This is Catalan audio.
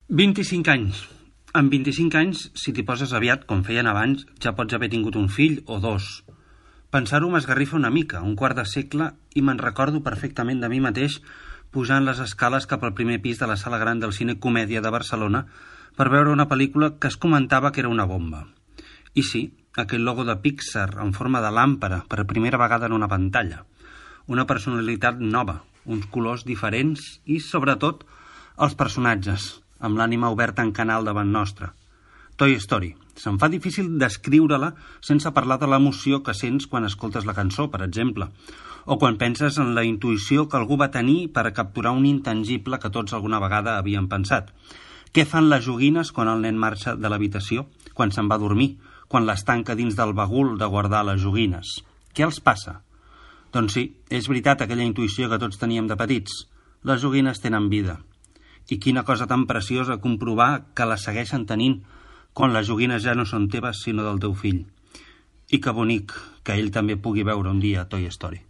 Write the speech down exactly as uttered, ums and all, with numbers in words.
vint-i-cinc anys. Amb vint-i-cinc anys, si t'hi poses aviat, com feien abans, ja pots haver tingut un fill o dos. Pensar-ho m'esgarrifa una mica, un quart de segle, i me'n recordo perfectament de mi mateix pujant les escales cap al primer pis de la sala gran del Cine Comèdia de Barcelona per veure una pel·lícula que es comentava que era una bomba. I sí, aquell logo de Pixar en forma de làmpara per primera vegada en una pantalla. Una personalitat nova, uns colors diferents i, sobretot, els personatges, amb l'ànima oberta en canal davant nostre. Toy Story. Se'm fa difícil descriure-la sense parlar de l'emoció que sents quan escoltes la cançó, per exemple, o quan penses en la intuïció que algú va tenir per a capturar un intangible que tots alguna vegada havíem pensat. Què fan les joguines quan el nen marxa de l'habitació, quan se'n va a dormir, quan les tanca dins del bagul de guardar les joguines? Què els passa? Doncs sí, és veritat aquella intuïció que tots teníem de petits. Les joguines tenen vida. I quina cosa tan preciosa comprovar que les segueixen tenint quan les joguines ja no són teves sinó del teu fill. I que bonic que ell també pugui veure un dia Toy Story.